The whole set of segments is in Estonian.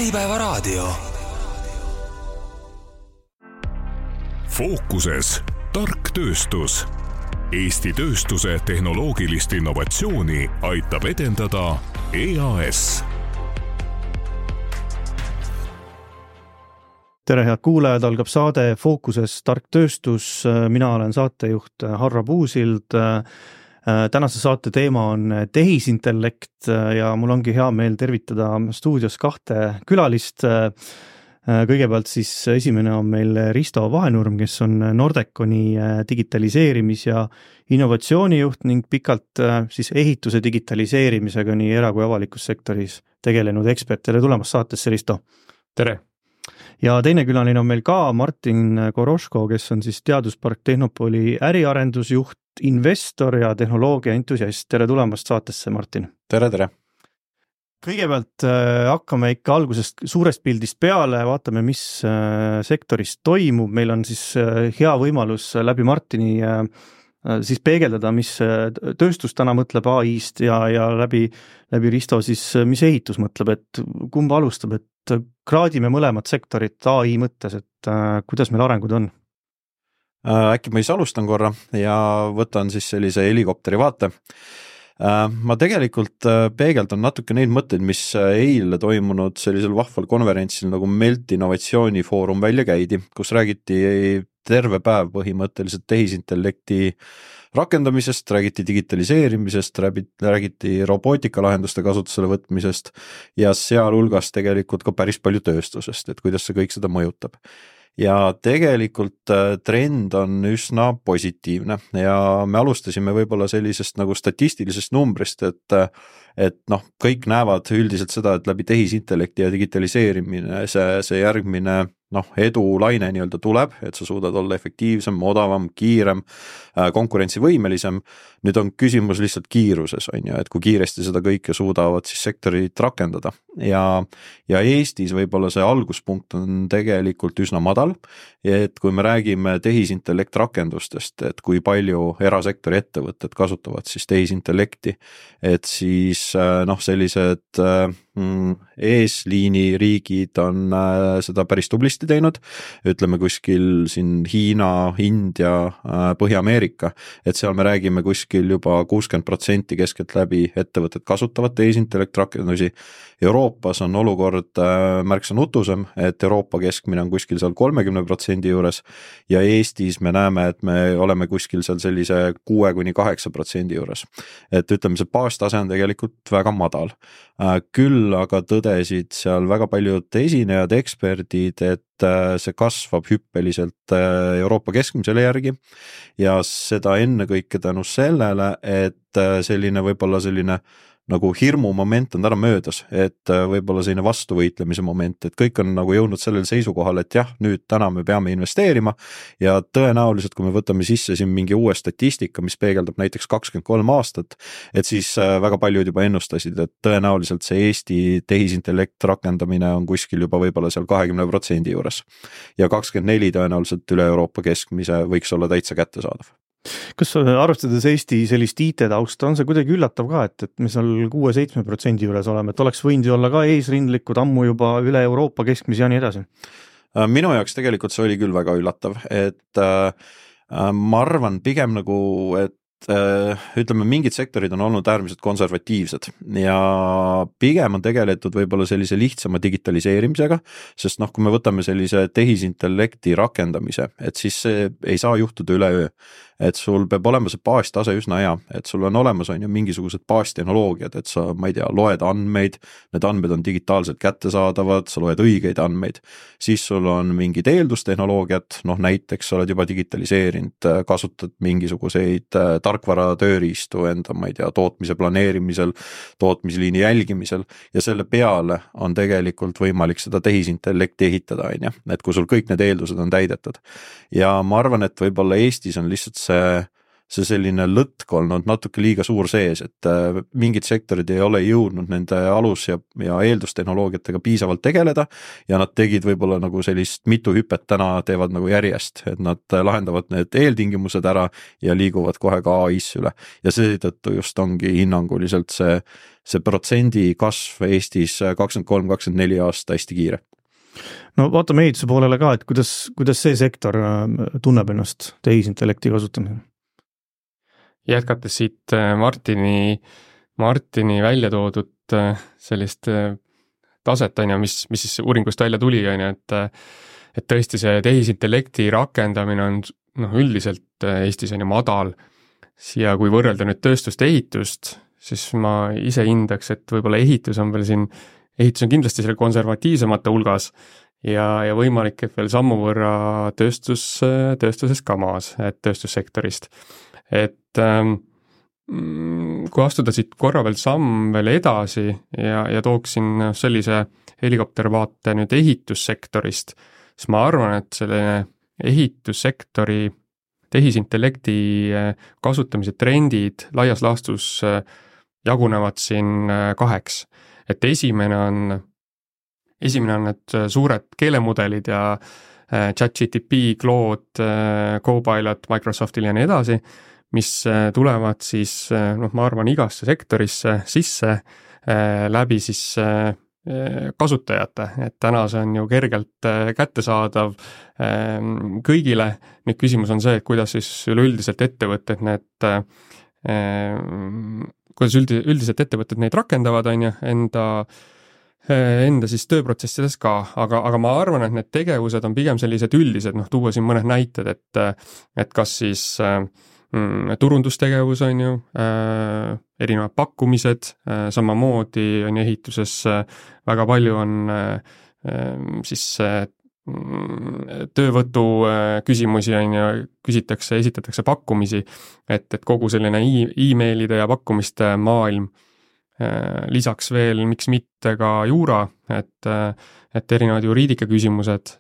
Äripäevaraadio. Fookuses tark tööstus. Eesti tööstuse tehnoloogilist innovatsiooni aitab edendada EAS. Tere head kuulajad, algab saade Fookuses tark tööstus. Mina olen saatejuht Harro Puusild. Tänase saate teema on tehisintellekt ja mul ongi hea meel tervitada stuudios kahte külalist. Kõigepealt siis esimene on meil Risto Vahenurm, kes on Nordeconi digitaliseerimis- ja innovatsioonijuht ning pikalt siis ehituse digitaliseerimisega nii era- kui avalikus sektoris tegelenud ekspert. Tere tulemast saatesse, Risto! Tere! Ja teine külaline on meil ka Martin Koroško, kes on siis Teaduspark Tehnopoli äriarendusjuht, investor ja tehnoloogia entusiast. Tere tulemast saatesse, Martin! Tere, tere! Kõigepealt hakkame ikka algusest suurest pildist peale, vaatame, mis sektoris toimub. Meil on siis hea võimalus läbi Martini siis peegeldada, mis tööstus täna mõtleb AI-st ja läbi Risto siis, mis ehitus mõtleb, et kumba alustab, et kraadime mõlemat sektorit AI mõttes, et kuidas meil arengud on? Äkki ma siis alustan korra ja võtan siis sellise helikopteri vaate. Ma tegelikult peegeldan natuke neid mõtteid, mis eile toimunud sellisel vahval konverentsil nagu Melt Innovatsioonifoorum välja käidi, kus räägiti terve päev põhimõtteliselt tehisintellekti rakendamisest, räägiti digitaliseerimisest, räägiti robootikalahenduste kasutusele võtmisest ja sealhulgas tegelikult ka päris palju tööstusest, et kuidas see kõik seda mõjutab. Ja tegelikult trend on üsna positiivne ja me alustasime võib-olla sellisest nagu statistilisest numbrist, et kõik näevad üldiselt seda, et läbi tehisintellekti ja digitaliseerimine see järgmine edulaine nii-öelda tuleb, et sa suudad olla efektiivsem, odavam, kiirem, konkurentsivõimelisem. Nüüd on küsimus lihtsalt kiiruses, et kui kiiresti seda kõike suudavad siis sektorid rakendada. Ja Eestis võib-olla see alguspunkt on tegelikult üsna madal, et kui me räägime tehisintellekt rakendustest, et kui palju erasektori ettevõtted kasutavad siis tehisintellekti, et siis sellised eesliini riigid on seda päris tublisti teinud, ütleme kuskil siin Hiina, India, Põhja-Ameerika, et seal me räägime kuskil juba 60% keskelt läbi ettevõtted kasutavad tehisintellekt rakendusi. Euroopas on olukord märksa nutusem, et Euroopa keskmine on kuskil seal 30% juures ja Eestis me näeme, et me oleme kuskil seal sellise 6-8% juures. Et ütleme, see baastase on tegelikult väga madal. Küll aga tõdesid seal väga paljud esinejad, eksperdid, et see kasvab hüppeliselt Euroopa keskmisele järgi ja seda ennekõike tänu sellele, et selline võib-olla selline nagu hirmu moment on täna möödas, et võib-olla selline vastuvõitlemise moment, et kõik on nagu jõudnud sellele seisukohal, et jah, nüüd täna me peame investeerima ja tõenäoliselt, kui me võtame sisse siin mingi uue statistika, mis peegeldab näiteks 23 aastat, et siis väga paljud juba ennustasid, et tõenäoliselt see Eesti tehisintellekt rakendamine on kuskil juba võib-olla seal 20% juures ja 24 tõenäoliselt üle Euroopa keskmise võiks olla täitsa kättesaadav. Kas arvestades Eesti sellist IT-tausta, on see kuidagi üllatav ka, et me seal 6-7% juures oleme, et oleks võinud ju olla ka eesrindlikud ammu juba üle Euroopa keskmise ja nii edasi? Minu jaoks tegelikult see oli küll väga üllatav, et ma arvan pigem nagu, et ütleme, mingid sektorid on olnud äärmiselt konservatiivsed ja pigem on tegeletud võib-olla sellise lihtsama digitaliseerimisega, sest kui me võtame sellise tehisintellekti rakendamise, et siis see ei saa juhtuda üleöö, et sul peab olema see baastase üsna hea, et sul on olemas mingisugused baastehnoloogiad, et sa, ma ei tea, loed andmeid, need andmed on digitaalselt kättesaadavad, sa loed õigeid andmeid, siis sul on mingid eeldustehnoloogiad, näiteks sa oled juba digitaliseerinud, kasutad mingisuguseid tarkvara tööriistu enda, ma ei tea, tootmise planeerimisel, tootmisliini jälgimisel ja selle peale on tegelikult võimalik seda tehisintellekti ehitada, et kui sul kõik need eeldused on täidetud. Ja ma arvan, et võib-olla Eestis on lihtsalt see selline lõtk olnud natuke liiga suur sees, et mingid sektorid ei ole jõudnud nende alus- ja eeldustehnoloogiatega piisavalt tegeleda ja nad tegid võib-olla nagu sellist mitu hüpet täna teevad nagu järjest, et nad lahendavad need eeltingimused ära ja liiguvad kohe ka AI-sse üle. Ja seetõttu just ongi hinnanguliselt see protsendi kasv Eestis 23-24 aasta hästi kiire. No vaatame ehituse poolele ka, et kuidas see sektor tunneb ennast tehisintellekti kasutamisel? Jätkates siit Martini välja toodud sellist taset, mis siis uuringust välja tuli, et tõesti see tehisintellekti rakendamine on üldiselt Eestis madal. Ja kui võrrelda nüüd tööstust ja ehitust, siis ma ise hindaks, et võib-olla ehitus on kindlasti selle konservatiivsemate hulgas ja võimalik, et veel sammu võrra tööstuses ka maas, et tööstussektorist. Et kui astuda siit korra veel samm veel edasi ja tooksin sellise helikoptervaate nüüd ehitussektorist, siis ma arvan, et selline ehitussektori tehisintellekti kasutamise trendid laias laastus jagunevad siin 2. Et esimene on need suured keelemudelid ja ChatGPT, Claude, Copilot, Microsoftil ja nii edasi, mis tulevad siis, ma arvan, igasse sektorisse sisse läbi siis kasutajate, et täna see on ju kergelt kättesaadav kõigile. Nüüd küsimus on see, et kuidas siis üleüldiselt ettevõtted neid rakendavad, enda siis tööprotsessides ka, aga ma arvan, et need tegevused on pigem sellised üldised, tuua siin mõned näited, et kas siis turundustegevus erinevad pakkumised, samamoodi on ehituses väga palju on siis töövõtu küsimusi esitatakse pakkumisi, et kogu selline e-mailide ja pakkumiste maailm, lisaks veel, miks mitte ka juura, et erinevad juriidika küsimused,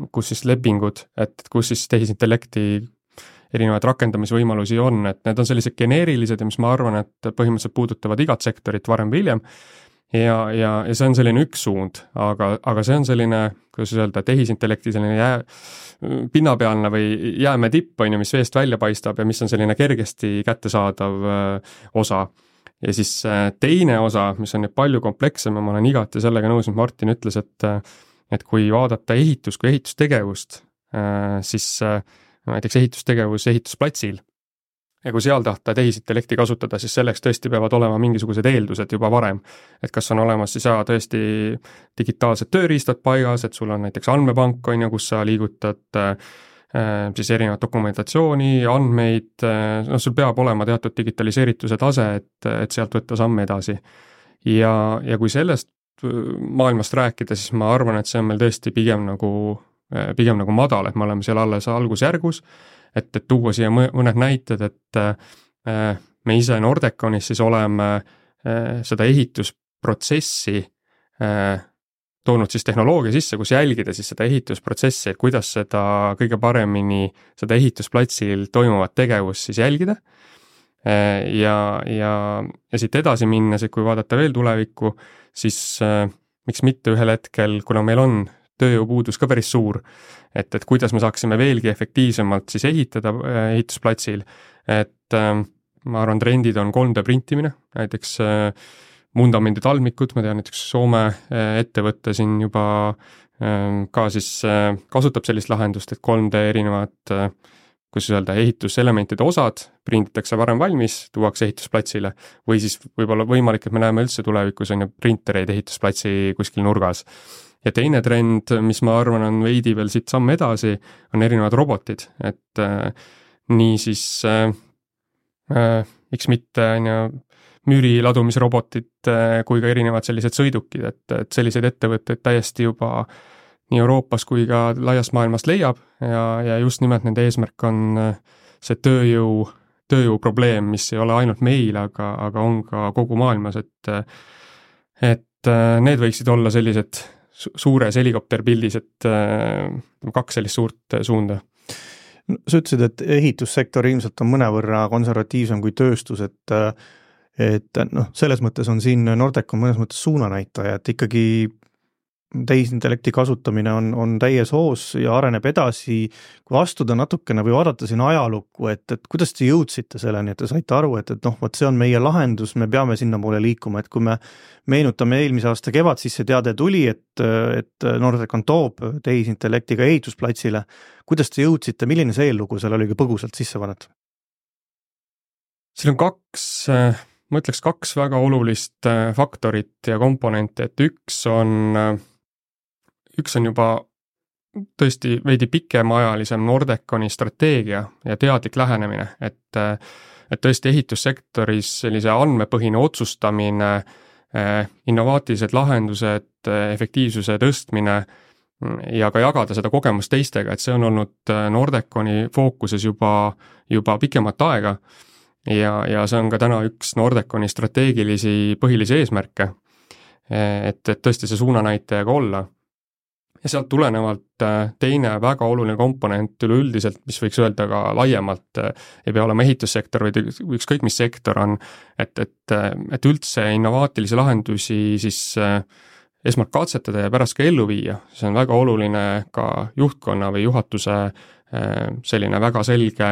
kus siis lepingud, et kus siis tehisintellekti erinevaid rakendamisvõimalusi on, et need on sellised geneerilised ja mis ma arvan, et põhimõtteliselt puudutavad igat sektorit varem või hiljem. Ja see on selline üks suund, aga see on selline, kuidas öelda, tehisintellekti selline pinnapealne või jääme tipp, mis veest välja paistab ja mis on selline kergesti kättesaadav osa. Ja siis teine osa, mis on nüüd palju komplekssem ja ma olen igati sellega nõus, mis Martin ütles, et kui vaadata kui ehitustegevust, siis näiteks ehitustegevus ehitusplatsil ja kui seal tahta tehisintellekti kasutada, siis selleks tõesti peavad olema mingisugused eeldused juba varem, et kas on olemas siis tõesti digitaalsed tööriistad paigas, et sul on näiteks andmepank, kus sa liigutad siis erinevat dokumentatsiooni, andmeid, sul peab olema teatud digitaliseerituse tase, et sealt võtta samme edasi. Ja kui sellest maailmast rääkida, siis ma arvan, et see on meil tõesti pigem nagu madal, et me oleme seal alles algusjärgus, et tuua siia mõned näited, et me ise Nordeconis siis oleme seda ehitusprotsessi toonud siis tehnoloogia sisse, kus jälgida siis seda ehitusprotsessi, et kuidas seda kõige paremini seda ehitusplatsil toimuvat tegevust siis jälgida. Ja siit edasi minnes, et kui vaadata veel tulevikku, siis miks mitte ühel hetkel, kuna meil on tööjõupuudus ka päris suur, et kuidas me saaksime veelgi efektiivsemalt siis ehitada ehitusplatsil, et ma arvan, trendid on 3D printimine, näiteks vundamendid talmikud, ma tean näiteks Soome ettevõtte siin juba ka siis kasutab sellist lahendust, et 3D erinevad, kuidas öelda, ehituselementide osad prinditakse varem valmis, tuuakse ehitusplatsile või siis võib-olla võimalik, et me näeme üldse tulevikus printereid ehitusplatsi kuskil nurgas. Ja teine trend, mis ma arvan on veidi veel siit samm edasi, on erinevad robotid, et nii siis miks mitte müüri ladumisrobotid kui ka erinevad sellised sõidukid, et selliseid ettevõtteid täiesti juba nii Euroopas kui ka laiast maailmast leiab ja just nimelt nende eesmärk on see tööjõu probleem, mis ei ole ainult meil, aga on ka kogu maailmas, et need võiksid olla sellised suures helikopterpildis, et 2 sellist suurt suunda. Sa ütlesid, et ehitussektor ilmselt on mõnevõrra konservatiivsem kui tööstus, et selles mõttes on siin Nordec on mõnes mõttes suunanäitaja, et ikkagi tehisintellekti kasutamine on täies hoos ja areneb edasi. Kui astuda natukene või vaadata siin ajalukku, et kuidas te jõudsite selleni, et te saite aru, et vot see on meie lahendus, me peame sinna poole liikuma, et kui me meenutame eelmise aasta kevad, siis see teade tuli, et Nordec toob tehisintellektiga ehitusplatsile. Kuidas te jõudsite, milline see eellugu seal oli põgusalt sisse vaadata? Siin on ma ütleks kaks väga olulist faktorit ja komponenti, et üks on juba tõesti veidi pikemaajalisem Nordeconi strateegia ja teadlik lähenemine, et tõesti ehitussektoris sellise andmepõhine otsustamine, innovaatilised lahendused, efektiivsuse tõstmine ja ka jagada seda kogemust teistega, et see on olnud Nordeconi fookuses juba pikemat aega ja see on ka täna üks Nordeconi strateegilisi põhilisi eesmärke, et tõesti see suunanäitajaga olla. Ja sealt tulenevalt teine väga oluline komponent üleüldiselt, mis võiks öelda ka laiemalt, ei pea olema ehitussektor või ükskõik mis sektor on, et üldse innovaatilisi lahendusi siis esmalt katsetada ja pärast ka ellu viia. See on väga oluline ka juhtkonna või juhatuse selline väga selge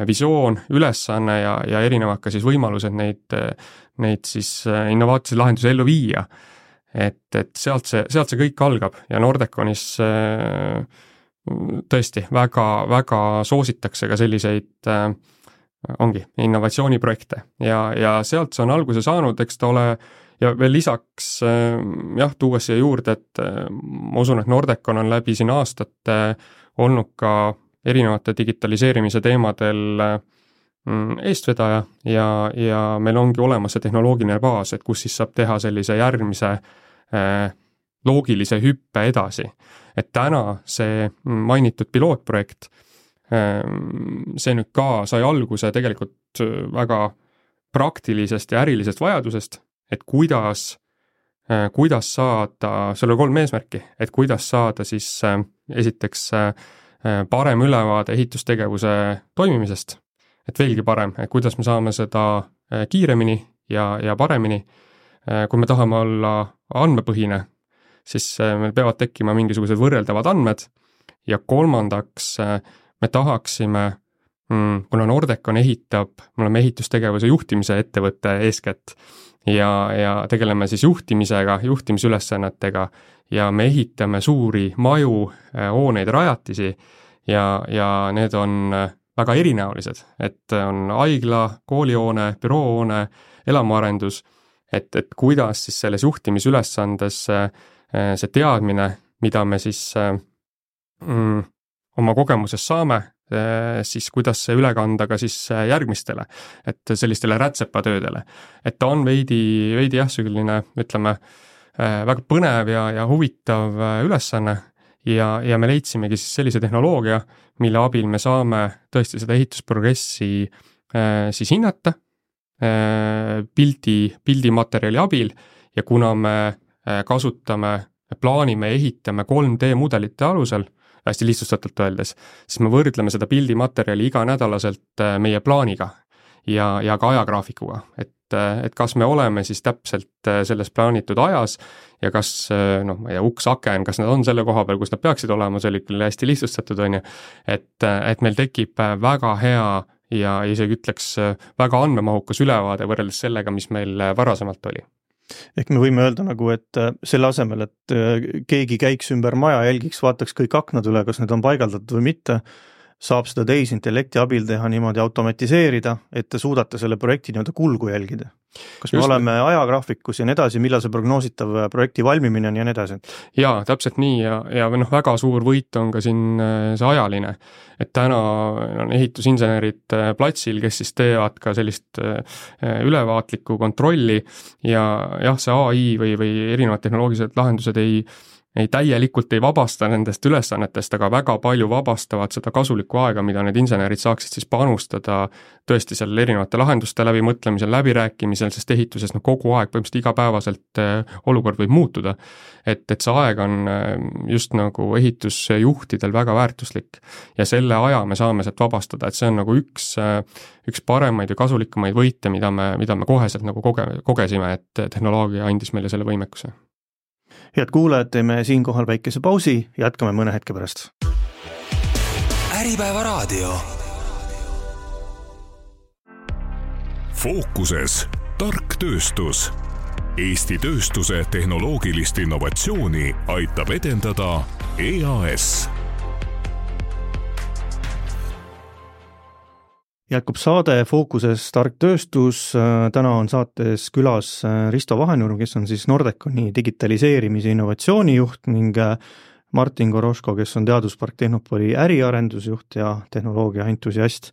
visioon, ülesanne ja erinevad ka siis võimalused neid siis innovaatilisi lahendusi ellu viia. Et sealt see kõik algab ja Nordeconis tõesti väga soositakse ka selliseid ongi innovatsiooniprojekte ja sealt see on alguse saanud, eks ta ole ja veel lisaks tuues siia juurde, et ma usun, et Nordecon on läbi siin aastate olnud ka erinevate digitaliseerimise teemadel eestvedaja ja meil ongi olemas see tehnoloogiline baas, et kus siis saab teha sellise järgmise loogilise hüppe edasi. Et täna see mainitud pilootprojekt, see nüüd ka sai alguse tegelikult väga praktilisest ja ärilisest vajadusest, et kuidas saada, seal on 3 eesmärki, et kuidas saada siis esiteks parem ülevaade ehitustegevuse toimimisest, et veelgi parem, et kuidas me saame seda kiiremini ja paremini. Kui me tahame olla andmepõhine, siis meil peavad tekkima mingisugused võrreldavad andmed ja kolmandaks me tahaksime, kuna Nordecon me oleme ehitustegevuse juhtimise ettevõtte eeskätt ja tegeleme siis juhtimisega, juhtimisülesannetega ja me ehitame suuri maju, hooneid, rajatisi ja need on väga erinäolised, et on haigla, koolihoone, büroohoone, elamuarendus, et kuidas siis selles juhtimisülesandes see teadmine, mida me siis oma kogemuses saame, siis kuidas see üle kanda ka siis järgmistele, et sellistele rätsepatöödele. Et ta on veidi selline, ütleme, väga põnev ja huvitav ülesanne ja me leidsimegi siis sellise tehnoloogia, mille abil me saame tõesti seda ehitusprogressi siis hinnata, pildimaterjali abil ja kuna me plaanime ja ehitame 3D mudelite alusel, hästi lihtsustatult öeldes, siis me võrdleme seda pildimaterjali iganädalaselt meie plaaniga ja ka ajagraafikuga, et kas me oleme siis täpselt selles plaanitud ajas ja kas, ma ei tea, uks-aken, kas nad on selle koha peal, kus nad peaksid olema, see oli küll hästi lihtsustatud, on ju, et meil tekib väga hea ja isegi ütleks väga andmemahukas ülevaade võrreldes sellega, mis meil varasemalt oli. Ehk me võime öelda nagu, et selle asemel, et keegi käiks ümber maja, jälgiks, vaataks kõik aknad üle, kas need on paigaldatud või mitte, saab seda tehisintellekti abil teha niimoodi automatiseerida, et te suudate selle projekti nii-öelda kulgu jälgida. Kas me oleme ajagraafikus ja nii edasi, millal see prognoositav projekti valmimine on ja nii edasi? Jaa, täpselt nii ja väga suur võit on ka siin see ajaline, et täna on ehitusinsenerid platsil, kes siis teevad ka sellist ülevaatlikku kontrolli ja jah, see AI või erinevad tehnoloogilised lahendused ei ei täielikult ei vabasta nendest ülesannetest, aga väga palju vabastavad seda kasulikku aega, mida need insenerid saaksid siis panustada tõesti seal erinevate lahenduste läbimõtlemisel, läbirääkimisel, sest ehituses kogu aeg põhimõtteliselt igapäevaselt olukord võib muutuda. Et see aeg on just nagu ehitusjuhtidel väga väärtuslik ja selle aja me saame sealt vabastada, et see on nagu üks paremaid ja kasulikumaid võite, mida me koheselt nagu kogesime, et tehnoloogia andis meile selle võimekuse. Head kuulajad, teeme siinkohal väikese pausi, jätkame mõne hetke pärast. Äripäeva raadio. Fookuses tark tööstus. Eesti tööstuse tehnoloogilist innovatsiooni aitab edendada EAS. Jätkub saade Fookuses tark tööstus. Täna on saates külas Risto Vahenurm, kes on siis Nordeconi digitaliseerimise innovatsioonijuht ning Martin Goroško, kes on Teaduspark Tehnopoli äriarendusjuht ja tehnoloogia entusiast.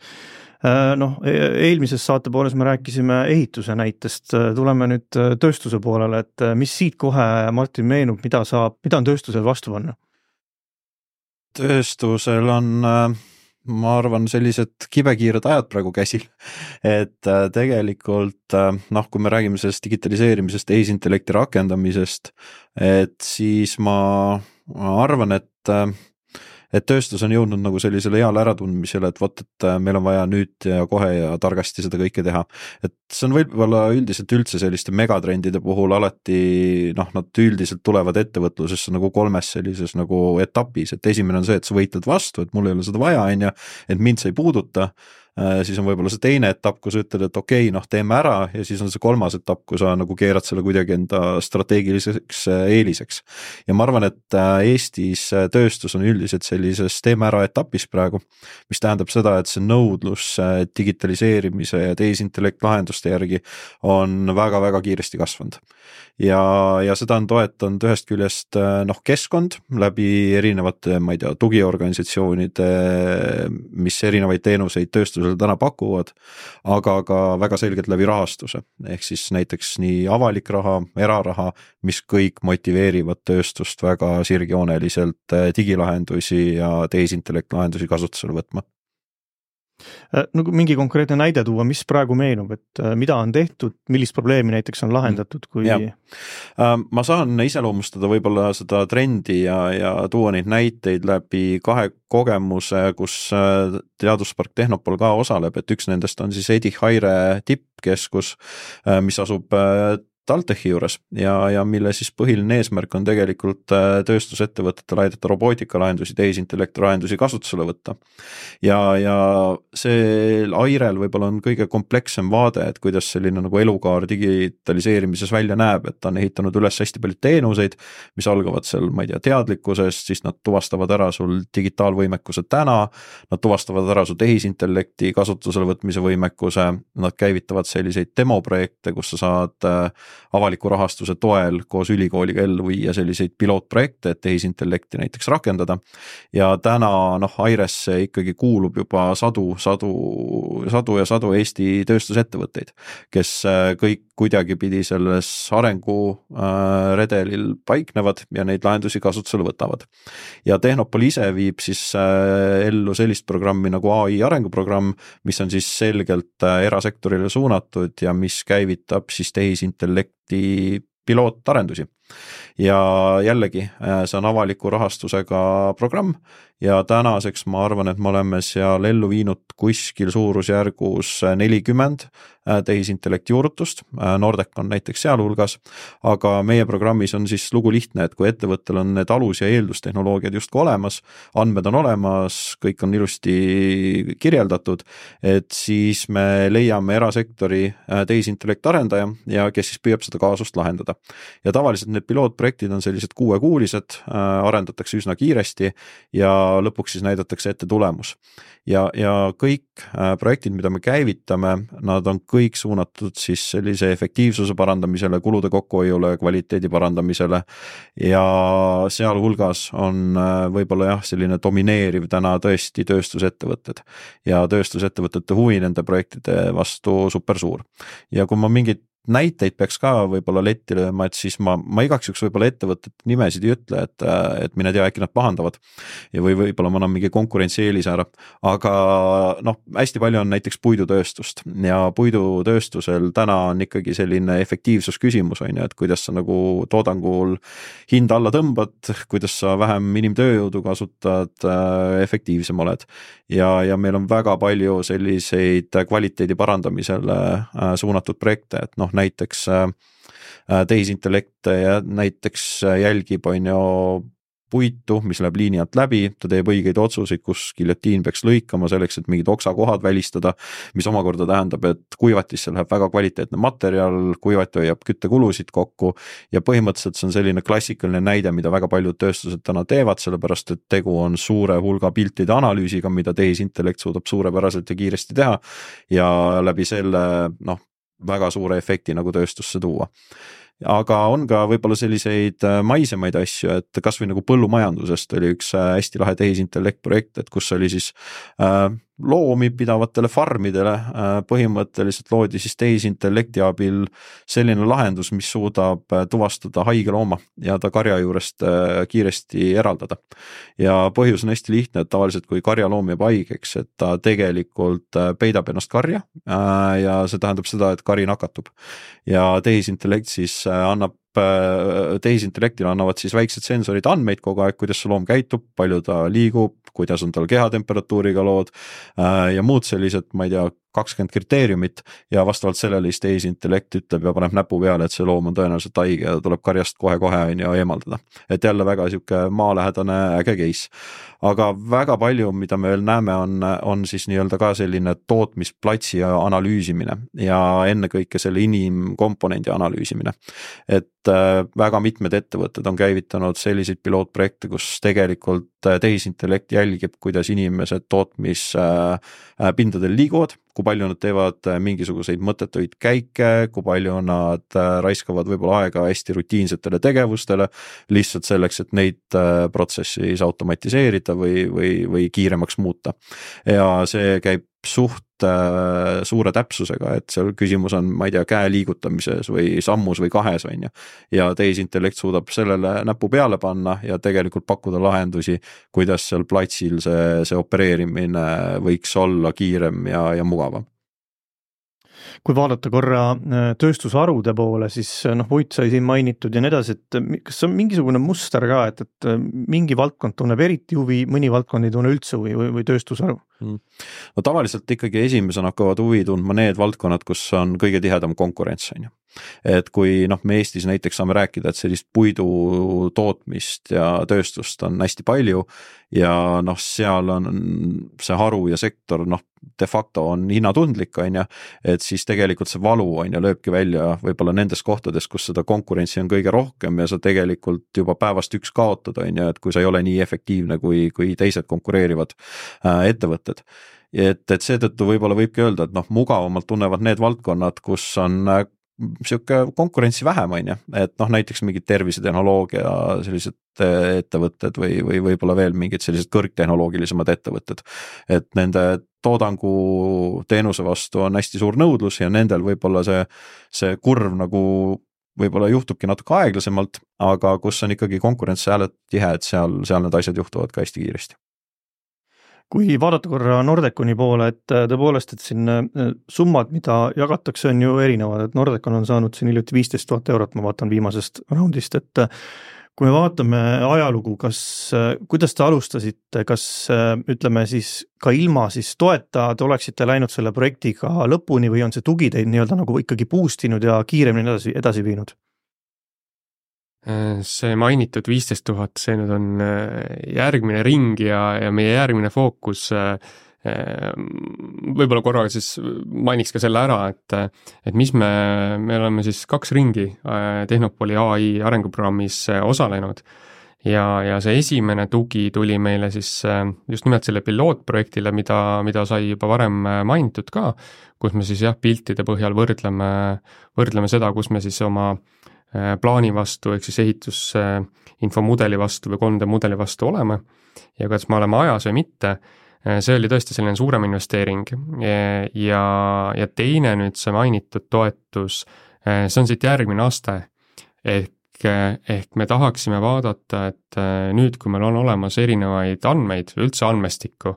Eelmises saate pooles me rääkisime ehituse näitest. Tuleme nüüd tööstuse poolele, et mis siit kohe, Martin, meenub, mida on tööstusel vastu panna? Tööstusel on ma arvan, sellised kibekiired ajad praegu käsil, et tegelikult kui me räägime sellest digitaliseerimisest, tehisintellekti rakendamisest, et siis ma arvan, et tööstus on jõudnud nagu sellisele heale äratundmisele, et meil on vaja nüüd ja kohe ja targasti seda kõike teha. Et see on võib-olla üldiselt üldse selliste megatrendide puhul alati, nad üldiselt tulevad ettevõtlusesse nagu 3 sellises nagu etapis, et esimene on see, et sa võitled vastu, et mul ei ole seda vaja, et mind sa ei puuduta. Siis on võib-olla see teine etapp, kus ütled, et okei, teeme ära ja siis on see 3. etapp, kui sa nagu keerad selle kuidagi enda strateegiliseks eeliseks. Ja ma arvan, et Eestis tööstus on üldiselt sellises teeme ära etapis praegu, mis tähendab seda, et see nõudlus digitaliseerimise ja tehisintellekt lahenduste järgi on väga-väga kiiresti kasvanud. Ja seda on toetanud ühest küljest keskkond läbi erinevate, tugiorganisatsioonide, mis erinevaid teenuseid tööstusele täna pakuvad, aga ka väga selgelt läbi rahastuse. Ehk siis näiteks nii avalik raha, eraraha, mis kõik motiveerivad tööstust väga sirgjooneliselt digilahendusi ja tehisintellekt lahendusi kasutusele võtma. Mingi konkreetne näide tuua, mis praegu meenub, et mida on tehtud, millist probleemi näiteks on lahendatud? Ma saan iseloomustada võib-olla seda trendi ja tuua neid näiteid läbi 2 kogemuse, kus Teaduspark Tehnopol ka osaleb, et üks nendest on siis Edi Haire tippkeskus, mis asub TalTechi juures ja mille siis põhiline eesmärk on tegelikult tööstusettevõtetele aidata robootikalahendusi, tehisintellekti lahendusi kasutusele võtta. Ja see Airel võib-olla on kõige komplekssem vaade, et kuidas selline nagu elukaar digitaliseerimises välja näeb, et ta on ehitanud üles hästi palju teenuseid, mis algavad seal, teadlikkusest, siis nad tuvastavad ära sul digitaalvõimekuse täna, nad tuvastavad ära su tehisintellekti kasutusele võtmise võimekuse, nad käivitavad selliseid demoprojekte, kus sa saad avaliku rahastuse toel koos ülikooliga ellu viia selliseid pilootprojekte, et tehisintellekti näiteks rakendada. Ja täna Airesse ikkagi kuulub juba sadu ja Eesti tööstusettevõtteid, kes kõik kuidagi pidi selles arengu redelil paiknevad ja neid lahendusi kasutusele võtavad. Ja Tehnopol ise viib siis ellu sellist programmi nagu AI arenguprogramm, mis on siis selgelt erasektorile suunatud ja mis käivitab siis tehisintellekti pilootarendusi. Ja jällegi, see on avaliku rahastusega programm ja tänaseks ma arvan, et me oleme seal ellu viinud kuskil suurusjärgus 40 tehisintellekti juurutust, Nordec on näiteks sealhulgas, aga meie programmis on siis lugu lihtne, et kui ettevõttel on need alus- ja eeldustehnoloogiad justkui olemas, andmed on olemas, kõik on ilusti kirjeldatud, et siis me leiame erasektori tehisintellekti arendaja ja kes siis püüab seda kaasust lahendada. Ja tavaliselt need pilootprojektid on sellised 6-kuulised, arendatakse üsna kiiresti ja lõpuks siis näidatakse ette tulemus. Ja kõik projektid, mida me käivitame, nad on kõik suunatud siis sellise efektiivsuse parandamisele, kulude kokkuhoiule, kvaliteedi parandamisele ja sealhulgas on võib-olla selline domineeriv täna tõesti tööstusettevõtted ja tööstusettevõtete huvi nende projektide vastu super suur. Ja kui ma mingit näiteid peaks ka võib-olla letti lööma, et siis ma igaks juks võib-olla ettevõtete nimesid ei ütle, et mine tea, äkki nad pahandavad ja võib-olla ma annan mingi konkurentsieelise ära, aga noh, hästi palju on näiteks puidutööstust ja puidutööstusel täna on ikkagi selline efektiivsus küsimus, on ju, et kuidas sa nagu toodangul hinda alla tõmbad, kuidas sa vähem inimtööjõudu kasutad, efektiivsem oled ja meil on väga palju selliseid kvaliteedi parandamisele suunatud projekte, et noh, näiteks tehisintellekt ja näiteks jälgib on ju puitu, mis läheb liini alt läbi, ta teeb õigeid otsuseid, kus giljotiin peaks lõikama selleks, et mingid oksakohad välistada, mis omakorda tähendab, et kuivatisse läheb väga kvaliteetne materjal, kuivat hoiab küttekulusid kokku ja põhimõtteliselt see on selline klassikaline näide, mida väga paljud tööstused täna teevad, sellepärast et tegu on suure hulga piltide analüüsiga, mida tehisintellekt suudab suurepäraselt ja kiiresti teha ja läbi selle noh, väga suure efekti nagu tööstusse tuua. Aga on ka võib-olla selliseid maisemaid asju, et kas või nagu põllumajandusest oli üks hästi lahe tehisintellekt projekt, et kus oli siis loomi pidavatele farmidele põhimõtteliselt loodi siis tehisintellekti abil selline lahendus, mis suudab tuvastada haige looma ja ta karja juurest kiiresti eraldada. Ja põhjus on hästi lihtne, et tavaliselt kui karjaloom jääb haigeks, et ta tegelikult peidab ennast karja ja see tähendab seda, et kari nakatub. Ja tehisintellekt siis tehisintellektile annavad siis väiksed sensorid andmeid kogu aeg, kuidas see loom käitub, palju ta liigub, kuidas on tal kehatemperatuuriga lood ja muud sellised, ma ei tea, 20 kriteeriumit ja vastavalt sellele siis tehisintellekt ütleb ja paneb näpu peale, et see loom on tõenäoliselt haige ja tuleb karjast kohe-kohe ja eemaldada. Et jälle väga siuke maalähedane äge case. Aga väga palju, mida me veel näeme, on siis nii-öelda ka selline tootmisplatsi analüüsimine ja ennekõike selle inimkomponendi analüüsimine. Et väga mitmed ettevõtted on käivitanud selliseid pilootprojekte, kus tegelikult tehisintellekt jälgib, kuidas inimesed tootmispindadel liiguvad, kui palju nad teevad mingisuguseid mõttetuid käike, kui palju nad raiskavad võib-olla aega hästi rutiinsetele tegevustele, lihtsalt selleks, et neid protsessi automatiseerida või kiiremaks muuta. Ja see käib suht suure täpsusega, et seal küsimus on, ma ei tea, käe liigutamises või sammus või kahes on ju. Ja tehisintellekt suudab sellele näpu peale panna ja tegelikult pakkuda lahendusi, kuidas seal platsil see opereerimine võiks olla kiirem ja mugavam. Kui vaadata korra tööstusharude poole, siis puit sai siin mainitud ja nii edasi, et kas on mingisugune muster ka, et mingi valdkond tunneb eriti huvi, mõni valdkond ei tunne üldse huvi või tööstusharu? No tavaliselt ikkagi esimesena hakkavad huvi tundma need valdkonnad, kus on kõige tihedam konkurents, on ju. Et kui me Eestis näiteks saame rääkida, et sellist puidu tootmist ja tööstust on hästi palju ja seal on see haru ja sektor de facto on hinnatundlik, on ju, et siis tegelikult see valu on ju lööbki välja võib-olla nendes kohtades, kus seda konkurentsi on kõige rohkem ja sa tegelikult juba päevast üks kaotad, on ju, et kui sa ei ole nii efektiivne kui teised konkureerivad ettevõtted. Et seetõttu võib-olla võibki öelda, et mugavamalt tunnevad need valdkonnad, kus on siuke konkurentsi vähem, on ju, et näiteks mingid tervisetehnoloogia sellised ettevõtted või võib-olla veel mingid sellised kõrgtehnoloogilisemad ettevõtted, et nende toodangu teenuse vastu on hästi suur nõudlus ja nendel võib-olla see kurv nagu võib-olla juhtubki natuke aeglasemalt, aga kus on ikkagi konkurents hääled tihe, et seal need asjad juhtuvad ka hästi kiiresti. Kui vaadata korra Nordeconi poole, et tõepoolest, et siin summad, mida jagatakse, on ju erinevad, et Nordecon on saanud siin hiljuti 15 000 eurot, ma vaatan viimasest raundist, et kui me vaatame ajalugu, kuidas te alustasite, kas ütleme siis ka ilma siis toeta te oleksite läinud selle projektiga lõpuni või on see tugi teid nii-öelda nagu ikkagi boostinud ja kiiremini edasi viinud? See mainitud 15 000, see nüüd on järgmine ring ja meie järgmine fookus, võib-olla korraga siis mainiks ka selle ära, et mis me oleme siis 2 ringi Tehnopoli AI arenguprogrammis osalenud ja see esimene tugi tuli meile siis just nimelt selle pilootprojektile, mida sai juba varem mainitud ka, kus me siis piltide põhjal võrdleme seda, kus me siis oma plaani vastu, ehk siis ehitusinfomudeli vastu või 3D-mudeli vastu oleme ja kas me oleme ajas või mitte, see oli tõesti selline suurem investeering ja teine nüüd see mainitud toetus see on siit järgmine aste, ehk me tahaksime vaadata, et nüüd, kui meil on olemas erinevaid andmeid, üldse andmestikku,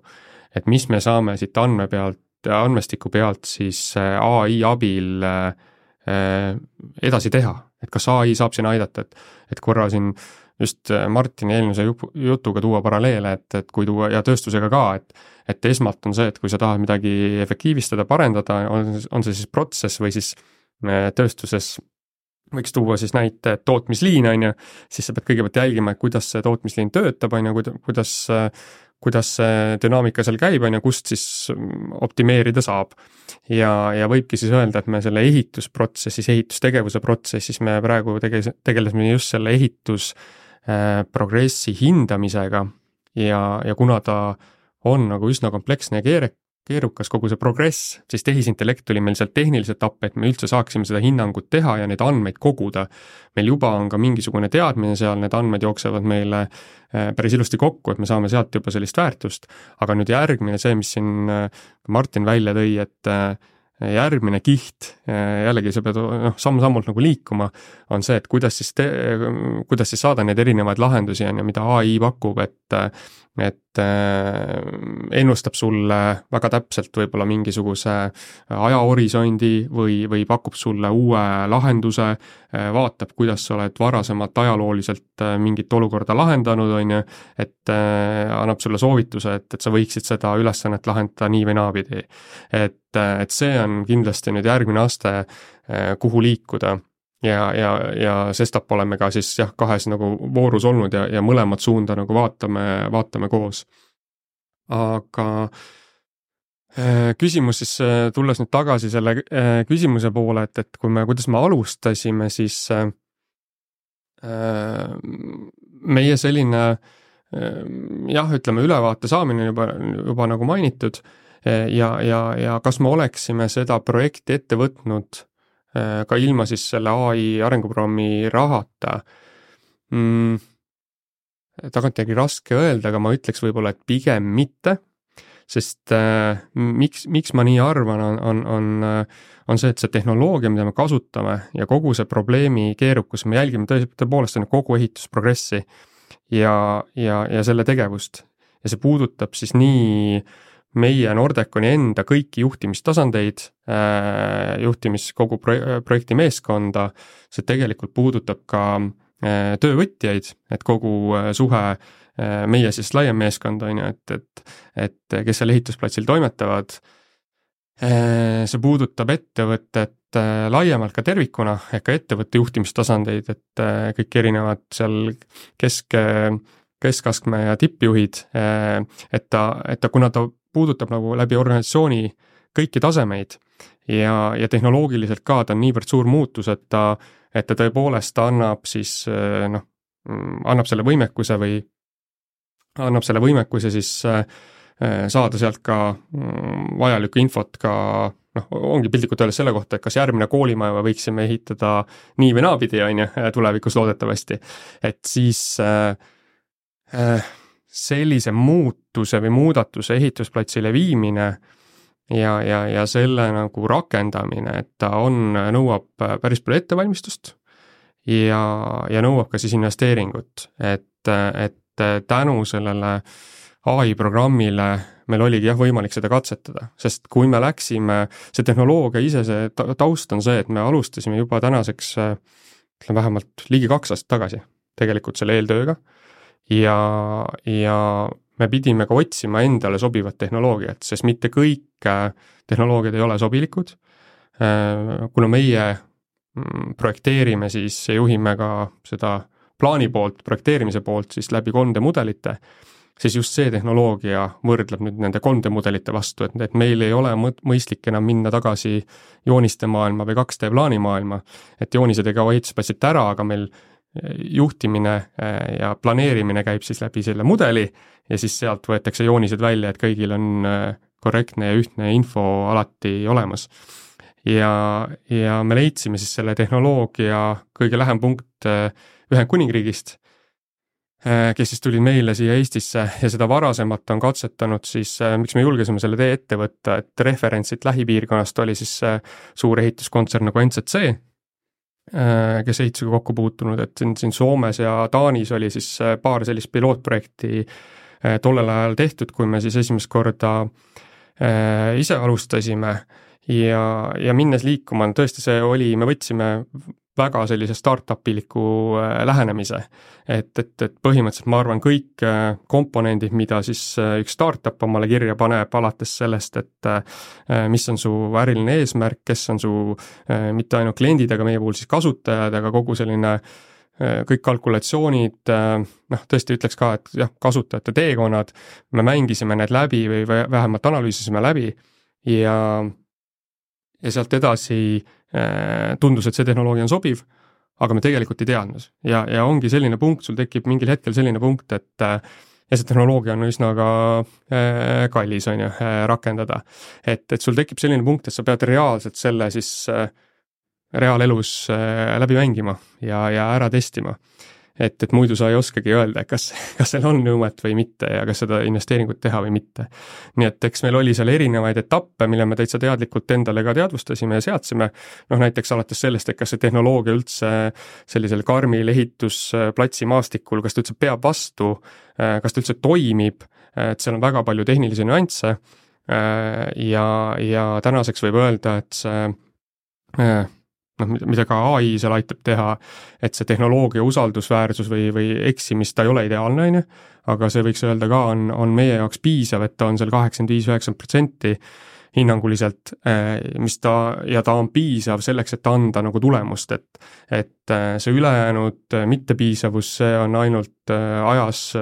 et mis me saame siit andmestiku pealt siis AI abil edasi teha, et kas AI saab siin aidata, et korra siin just Martini eelmise jutuga tuua paralleele, et kui tuua ja tööstusega ka, et esmalt on see, et kui sa tahad midagi efektiivistada, parendada, on see siis protsess või siis tööstuses võiks tuua siis näite tootmisliin, on ju, siis sa pead kõigepealt jälgima, et kuidas see tootmisliin töötab, on ju, kuidas see dünaamika seal käib, on ju, kust siis optimeerida saab. Ja võibki siis öelda, et me selle ehitustegevuse protsessis me praegu tegelesime just selle ehitusprogressi hindamisega ja kuna ta on nagu üsna kompleksne ja keerukas kogu see progress, siis tehisintellekt tuli meil sealt tehniliselt appi, et me üldse saaksime seda hinnangut teha ja neid andmeid koguda. Meil juba on ka mingisugune teadmine seal, need andmed jooksevad meile päris ilusti kokku, et me saame sealt juba sellist väärtust, aga nüüd järgmine see, mis siin Martin välja tõi, et järgmine kiht, jällegi sa pead samm-sammult nagu liikuma, on see, et kuidas siis saada neid erinevaid lahendusi, mida AI pakub, et ennustab sulle väga täpselt võib-olla mingisuguse ajahorisondi või pakub sulle uue lahenduse, vaatab, kuidas sa oled varasemalt ajalooliselt mingit olukorda lahendanud, on ju, et annab sulle soovituse, et sa võiksid seda ülesannet lahendada nii või naapidi. Et see on kindlasti nüüd järgmine aste, kuhu liikuda. Ja sestap oleme ka siis kahes nagu voorus olnud ja mõlemad suunda nagu vaatame koos. Aga küsimus siis, tulles nüüd tagasi selle küsimuse poole, et kuidas me alustasime, siis meie selline ütleme ülevaate saamine juba nagu mainitud ja kas me oleksime seda projekti ette võtnud ka ilma siis selle AI arenguprogrammi rahata. Tagantjärgi raske öelda, aga ma ütleks võib-olla, et pigem mitte, sest miks ma nii arvan, on see, et see tehnoloogia, mida me kasutame ja kogu see probleemi keerukus, me jälgime tõepoolest kogu ehitusprogressi ja selle tegevust. Ja see puudutab siis nii meie Nordeconi enda kõiki juhtimistasandeid, kogu projekti meeskonda, see tegelikult puudutab ka töövõtjaid, et kogu suhe meie siis laiem meeskond on ju, et kes seal ehitusplatsil toimetavad, see puudutab ettevõtet laiemalt ka tervikuna, ehk ka ettevõtte juhtimistasandeid, et kõik erinevad seal keskastme ja tippjuhid, et ta kuna ta puudutab nagu läbi organisatsiooni kõiki tasemeid ja tehnoloogiliselt ka ta on niivõrd suur muutus, et ta tõepoolest annab siis annab selle võimekuse siis saada sealt ka vajalikku infot ka ongi piltlikult öeldes selle kohta, et kas järgmine koolimaja võiksime ehitada nii või naapidi, on ju, tulevikus loodetavasti. Et siis sellise muutuse või muudatuse ehitusplatsile viimine ja selle nagu rakendamine, et ta nõuab päris palju ettevalmistust ja nõuab ka siis investeeringut, et tänu sellele AI programmile meil oligi võimalik seda katsetada, sest kui me läksime, see tehnoloogia ise, see taust on see, et me alustasime juba tänaseks vähemalt ligi 2 aastat tagasi tegelikult selle eeltööga ja me pidime ka otsima endale sobivat tehnoloogiat, sest mitte kõik tehnoloogiad ei ole sobilikud. Kuna meie projekteerime siis ja juhime ka seda plaani poolt, projekteerimise poolt siis läbi 3D mudelite, siis just see tehnoloogia võrdleb nüüd nende 3D mudelite vastu, et meil ei ole mõistlik enam minna tagasi jooniste maailma või 2D plaani maailma, et joonised ei kao ehitusplatsilt ära, aga meil juhtimine ja planeerimine käib siis läbi selle mudeli ja siis sealt võetakse joonised välja, et kõigil on korrektne ja ühtne info alati olemas. Ja me leidsime siis selle tehnoloogia kõige lähem punkt Ühendkuningriigist, kes siis tulid meile siia Eestisse ja seda varasemalt on katsetanud siis, miks me julgesime selle tee ette võtta, et referentsit lähipiirkonnast oli siis suur ehituskontsern nagu NCC, kes ehitusega kokku puutunud, et siin Soomes ja Taanis oli siis paar sellist pilootprojekti tollel ajal tehtud, kui me siis esimest korda ise alustasime ja minnes liikuma, tõesti see oli, me võtsime väga sellise startup-iliku lähenemise, et põhimõtteliselt ma arvan kõik komponendid, mida siis üks startup omale kirja paneb, alates sellest, et mis on su äriline eesmärk, kes on su mitte ainult kliendid, aga meie puhul siis kasutajad, aga kogu selline kõik kalkulatsioonid, tõesti ütleks ka, et jah, kasutajate teekonnad, me mängisime need läbi või vähemalt analüüsisime läbi ja sealt edasi tundus, et see tehnoloogia on sobiv, aga me tegelikult ei teadnud. Ja ongi selline punkt, sul tekib mingil hetkel selline punkt, et ja see tehnoloogia on üsna ka kallis, on ju, rakendada. Et sul tekib selline punkt, et sa pead reaalselt selle siis reaalelus läbi mängima ja ära testima. Et muidu sa ei oskagi öelda, kas seal on nõuet või mitte ja kas seda investeeringut teha või mitte. Nii et eks meil oli seal erinevaid etappe, mille me täitsa teadlikult endale ka teadvustasime ja seadsime. Näiteks alates sellest, et kas see tehnoloogia üldse sellisel karmil ehitusplatsi maastikul, kas ta üldse peab vastu, kas ta üldse toimib, et seal on väga palju tehnilisi nüansse ja tänaseks võib öelda, et see mida ka AI seal aitab teha, et see tehnoloogia usaldusväärsus või eksimist, ta ei ole ideaalne, aga see võiks öelda ka on meie jaoks piisav, et ta on seal 85-90% hinnanguliselt, ta on piisav selleks, et anda nagu tulemust, et see ülejäänud mittepiisavus, see on ainult ajas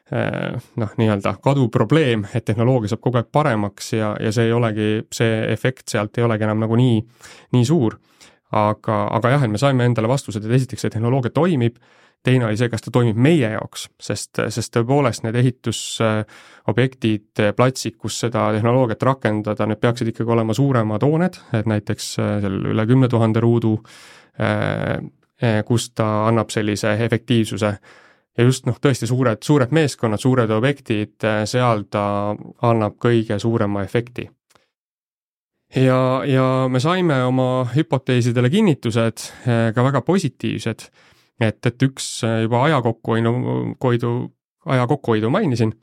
nii-öelda kaduv probleem, et tehnoloogia saab kogu aeg paremaks ja see ei olegi, see efekt sealt ei olegi enam nagu nii suur. Aga jah, et me saime endale vastused, et esiteks see tehnoloogia toimib, teine oli see, kas ta toimib meie jaoks, sest tõepoolest need ehitusobjektid, platsid, kus seda tehnoloogiat rakendada, need peaksid ikkagi olema suuremad hooned, et näiteks seal üle 10 000 ruudu, kus ta annab sellise efektiivsuse ja just tõesti suured meeskonnad, suured objektid, seal ta annab kõige suurema efekti. Ja me saime oma hüpoteesidele kinnitused ka väga positiivsed, et üks juba aja kokkuhoidu mainisin,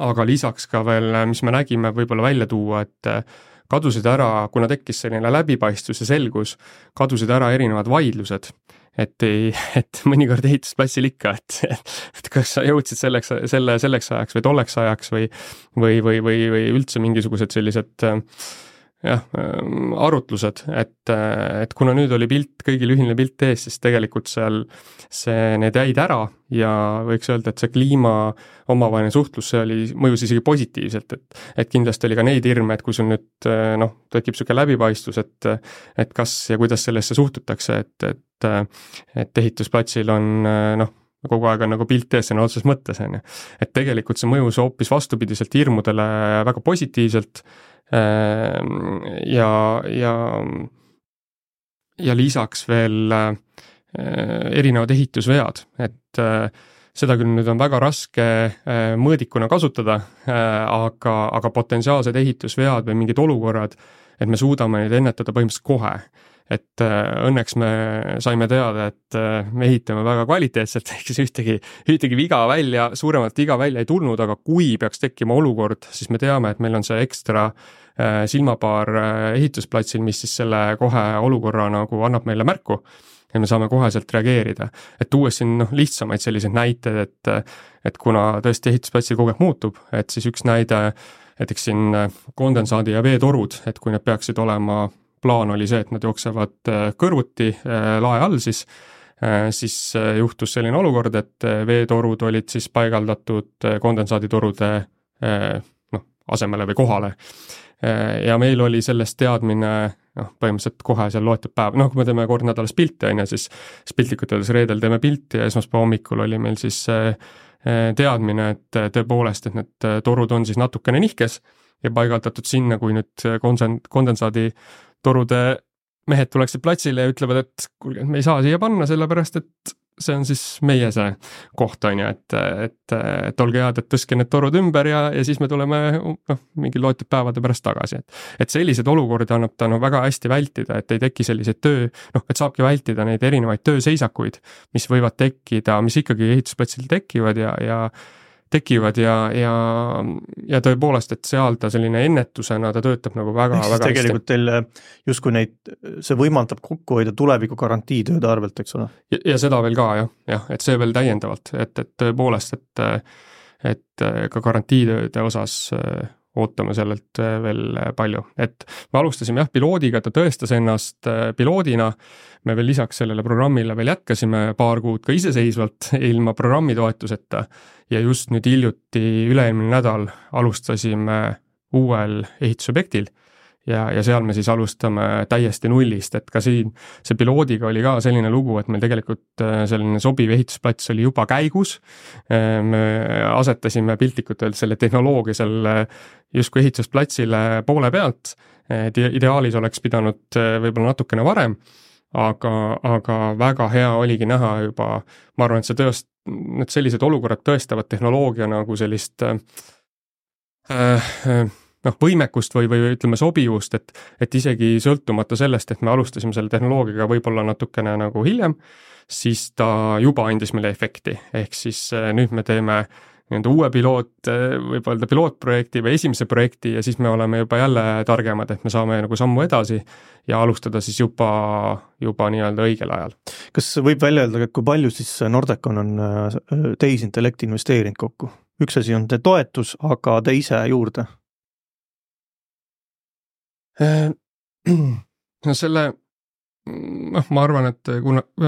aga lisaks ka veel, mis me nägime võib-olla välja tuua, et kadusid ära, kuna tekkis selline läbipaistvus ja selgus, kadusid ära erinevad vaidlused, et mõnikord ehitusplatsil ikka, et kas sa jõudsid selleks ajaks või tolleks ajaks või üldse mingisugused sellised arutlused, et kuna nüüd oli kõigil ühine pilt ees, siis tegelikult seal need jäid ära ja võiks öelda, et see kliima omavaheline suhtlus, see mõjus isegi positiivselt, et kindlasti oli ka neid hirme, et kui sul nüüd tekib selline läbipaistvus, et kas ja kuidas sellesse suhtutakse, et ehitusplatsil on kogu aeg on nagu pilt ees sõna otseses mõttes, et tegelikult see mõjus hoopis vastupidiselt hirmudele väga positiivselt ja lisaks veel erinevad ehitusvead, et seda küll nüüd on väga raske mõõdikuna kasutada, aga potentsiaalsed ehitusvead või mingid olukorrad, et me suudame neid ennetada põhimõtteliselt kohe. Et õnneks me saime teada, et me ehitame väga kvaliteetselt, ehk siis ühtegi viga välja, suuremalt viga välja ei tulnud, aga kui peaks tekkima olukord, siis me teame, et meil on see ekstra silmapaar ehitusplatsil, mis siis selle kohe olukorra nagu annab meile märku ja me saame koheselt reageerida. Et tuues siin lihtsamaid selliseid näited, et kuna tõesti ehitusplatsil kogu aeg muutub, et siis üks näide, näiteks siin kondensaadi ja veetorud, et kui need peaksid olema, plaan oli see, et nad jooksevad kõrvuti lae all, siis juhtus selline olukord, et veetorud olid siis paigaldatud kondensaaditorude asemele või kohale. Ja meil oli sellest teadmine põhimõtteliselt kohe seal loetud päev, kui me teeme kord nädalas pilti, siis piltlikult öeldes reedel teeme pilti ja esmaspäeva hommikul oli meil siis teadmine, et tõepoolest, et need torud on siis natukene nihkes ja paigaldatud sinna, kui nüüd kondensaadi torude mehed tuleksid platsile ja ütlevad, et kuulge, me ei saa siia panna, sellepärast et see on siis meie see koht, on ju, et olge head, et tõstke need torud ümber ja siis me tuleme mingi loetud päevade pärast tagasi. Et sellised olukordi annab ta väga hästi vältida, et ei teki selliseid et saabki vältida neid erinevaid tööseisakuid, mis võivad tekkida, mis ikkagi ehitusplatsil tekivad ja tõepoolest, et seal ta selline ennetusena, ta töötab nagu väga hästi. Tegelikult teil justkui see võimaldab kokku hoida tuleviku garantiitööde arvelt, eks ole? Ja seda veel ka, jah, et see veel täiendavalt, et tõepoolest, et ka garantiitööde osas ootame sellelt veel palju. Et me alustasime piloodiga, ta tõestas ennast piloodina, me veel lisaks sellele programmile veel jätkasime paar kuud ka iseseisvalt ilma programmi toetuseta ja just nüüd hiljuti üle-eelmine nädal alustasime uuel ehitusobjektil ja seal me siis alustame täiesti nullist, et ka siin see piloodiga oli ka selline lugu, et meil tegelikult selline sobiv ehitusplats oli juba käigus, me asetasime piltlikult öeldes selle tehnoloogia seal justkui ehitusplatsile poole pealt, ideaalis oleks pidanud võib-olla natukene varem, aga väga hea oligi näha juba, ma arvan, et need sellised olukorrad tõestavad tehnoloogia nagu sellist võimekust või ütleme sobivust, et isegi sõltumata sellest, et me alustasime selle tehnoloogiaga võib-olla natukene nagu hiljem, siis ta juba andis meile efekti. Ehk siis nüüd me teeme uue võib öelda pilootprojekti või esimese projekti ja siis me oleme juba jälle targemad, et me saame nagu sammu edasi ja alustada siis juba nii-öelda õigel ajal. Kas võib välja öelda, kui palju siis Nordecon on tehisintellekti investeerinud kokku? Üks asi on toetus, aga te ise juurde? No selle, ma arvan, et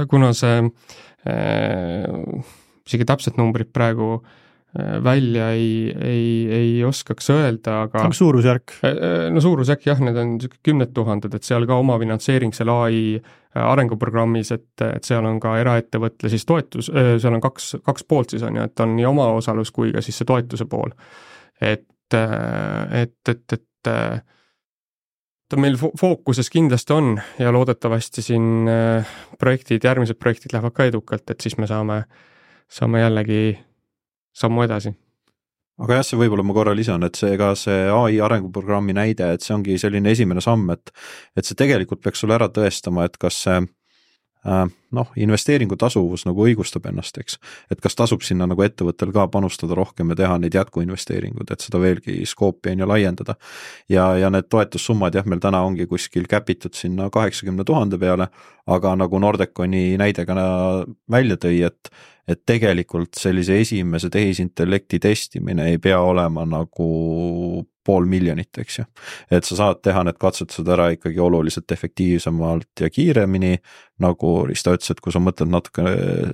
kuna see isegi täpselt numbrid praegu välja ei oskaks öelda, aga suurusjärk? No suurusjärk jah, need on 10 000, et seal ka oma finantseering seal AI arenguprogrammis, et seal on ka eraettevõtle siis toetus, seal on kaks poolt siis on ju, et on nii oma osalus kui ka siis see toetuse pool. Et ta meil fookuses kindlasti on ja loodetavasti siin järgmised projektid lähevad ka edukalt, et siis me saame jällegi sammu edasi. Aga jah, see võib-olla ma korra lisan, et see AI arenguprogrammi näide, et see ongi selline esimene samm, et see tegelikult peaks sulle ära tõestama, et kas see investeeringu tasuvus nagu õigustab ennast, eks. Et kas tasub sinna nagu ettevõttel ka panustada rohkem ja teha neid jätkuinvesteeringud, et seda veelgi skoopi ja laiendada. Ja need toetussummad jah, meil täna ongi kuskil käpitud sinna 80 000 peale, aga nagu Nordeconi näidega välja tõi, et tegelikult sellise esimese tehisintellekti testimine ei pea olema nagu 500 000, eks ju. Et sa saad teha need katsetused ära ikkagi oluliselt efektiivsemalt ja kiiremini, nagu Risto ütles, et kui sa mõtled natuke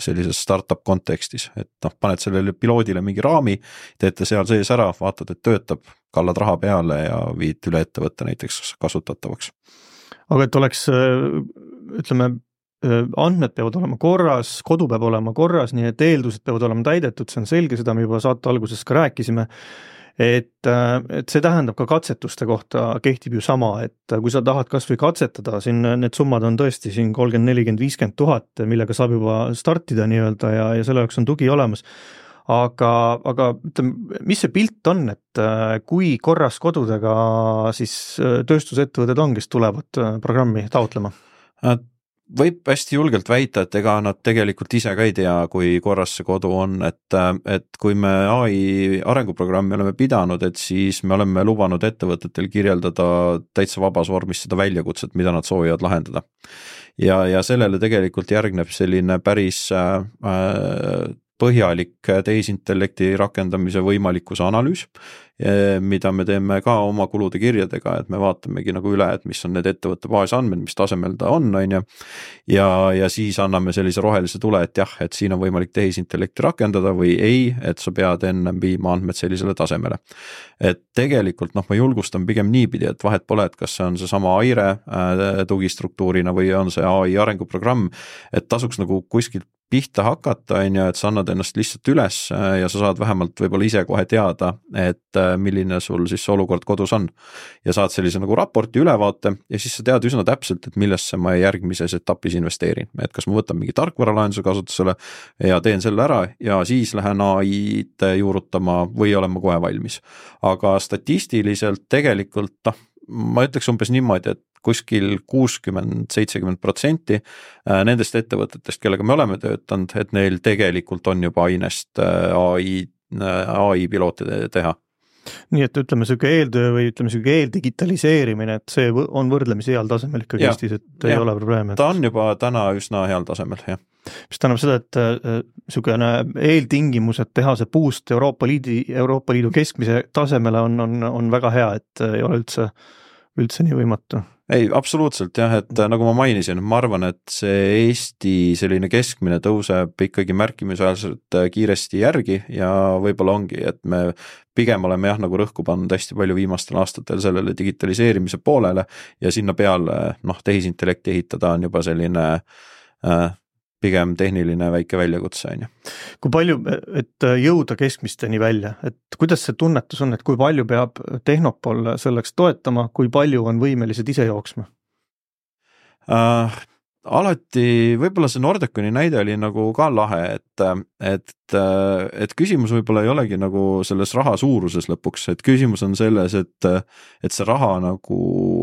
sellises startup kontekstis, et paned sellele piloodile mingi raami, teete seal sees ära, vaatad, et töötab, kallad raha peale ja viid üle ettevõtte näiteks kasutatavaks. Aga et oleks, ütleme, andmed peavad olema korras, kodu peab olema korras, nii et eeldused peavad olema täidetud, see on selge, seda me juba saate alguses ka rääkisime, et see tähendab ka katsetuste kohta kehtib ju sama, et kui sa tahad kas või katsetada, siin need summad on tõesti siin 30, 40, 50 000, millega saab juba startida nii-öelda ja selle jaoks on tugi olemas. Aga ütleme, mis see pilt on, et kui korras kodudega siis tööstusettevõtted on, kes tulevad programmi taotlema? Võib hästi julgelt väita, et ega nad tegelikult ise ka ei tea, kui korras see kodu on, et kui me AI arenguprogrammi oleme pidanud, et siis me oleme lubanud ettevõtetel kirjeldada täitsa vabas vormis seda väljakutset, mida nad soovivad lahendada. Ja sellele tegelikult järgneb selline päris põhjalik tehisintellekti rakendamise võimalikkuse analüüs, mida me teeme ka oma kulude kirjadega, et me vaatamegi nagu üle, et mis on need ettevõtte baasandmed, mis tasemel ta on ju. Ja siis anname sellise rohelise tule, et jah, et siin on võimalik tehisintellekti rakendada või ei, et sa pead enne viima andmed sellisele tasemele. Et tegelikult ma julgustan pigem niipidi, et vahet pole, et kas see on see sama AIRE tugistruktuurina või on see AI arenguprogramm, et tasuks nagu kuskilt pihta hakata, on ju, et sa annad ennast lihtsalt üles ja sa saad vähemalt võib-olla ise kohe teada, et milline sul siis olukord kodus on. Ja saad sellise nagu raporti ülevaate ja siis sa tead üsna täpselt, et millesse ma järgmises etapis investeerin. Et kas ma võtan mingi tarkvaralahenduse kasutusele ja teen selle ära ja siis lähen AI-d juurutama või olen ma kohe valmis. Aga statistiliselt tegelikult, ma ütleks umbes niimoodi, et kuskil 60-70% nendest ettevõtetest, kellega me oleme töötanud, et neil tegelikult on juba ainest AI pilootide teha. Nii et ütleme selline eeltöö või ütleme selline eeldigitaliseerimine, et see on võrdlemisi heal tasemel ikkagi Eestis, et ei ole probleeme. Ta on juba täna üsna heal tasemel, jah. Mis tähendab seda, et selline eeltingimused teha see boost Euroopa Liidu keskmise tasemele on väga hea, et ei ole üldse nii võimatu. Ei, absoluutselt jah, et nagu ma mainisin, ma arvan, et see Eesti selline keskmine tõuseb ikkagi märkimisväärselt kiiresti järgi ja võib-olla ongi, et me pigem oleme jah nagu rõhku pannud hästi palju viimastel aastatel sellele digitaliseerimise poolele ja sinna peale tehisintellekti ehitada on juba selline pigem tehniline väike väljakutse on ju. Kui palju, et jõuda keskmisteni välja, et kuidas see tunnetus on, et kui palju peab Tehnopol selleks toetama, kui palju on võimelised ise jooksma? Alati võib-olla see Nordeconi näide oli nagu ka lahe, et küsimus võib-olla ei olegi nagu selles raha suuruses lõpuks, et küsimus on selles, et see raha nagu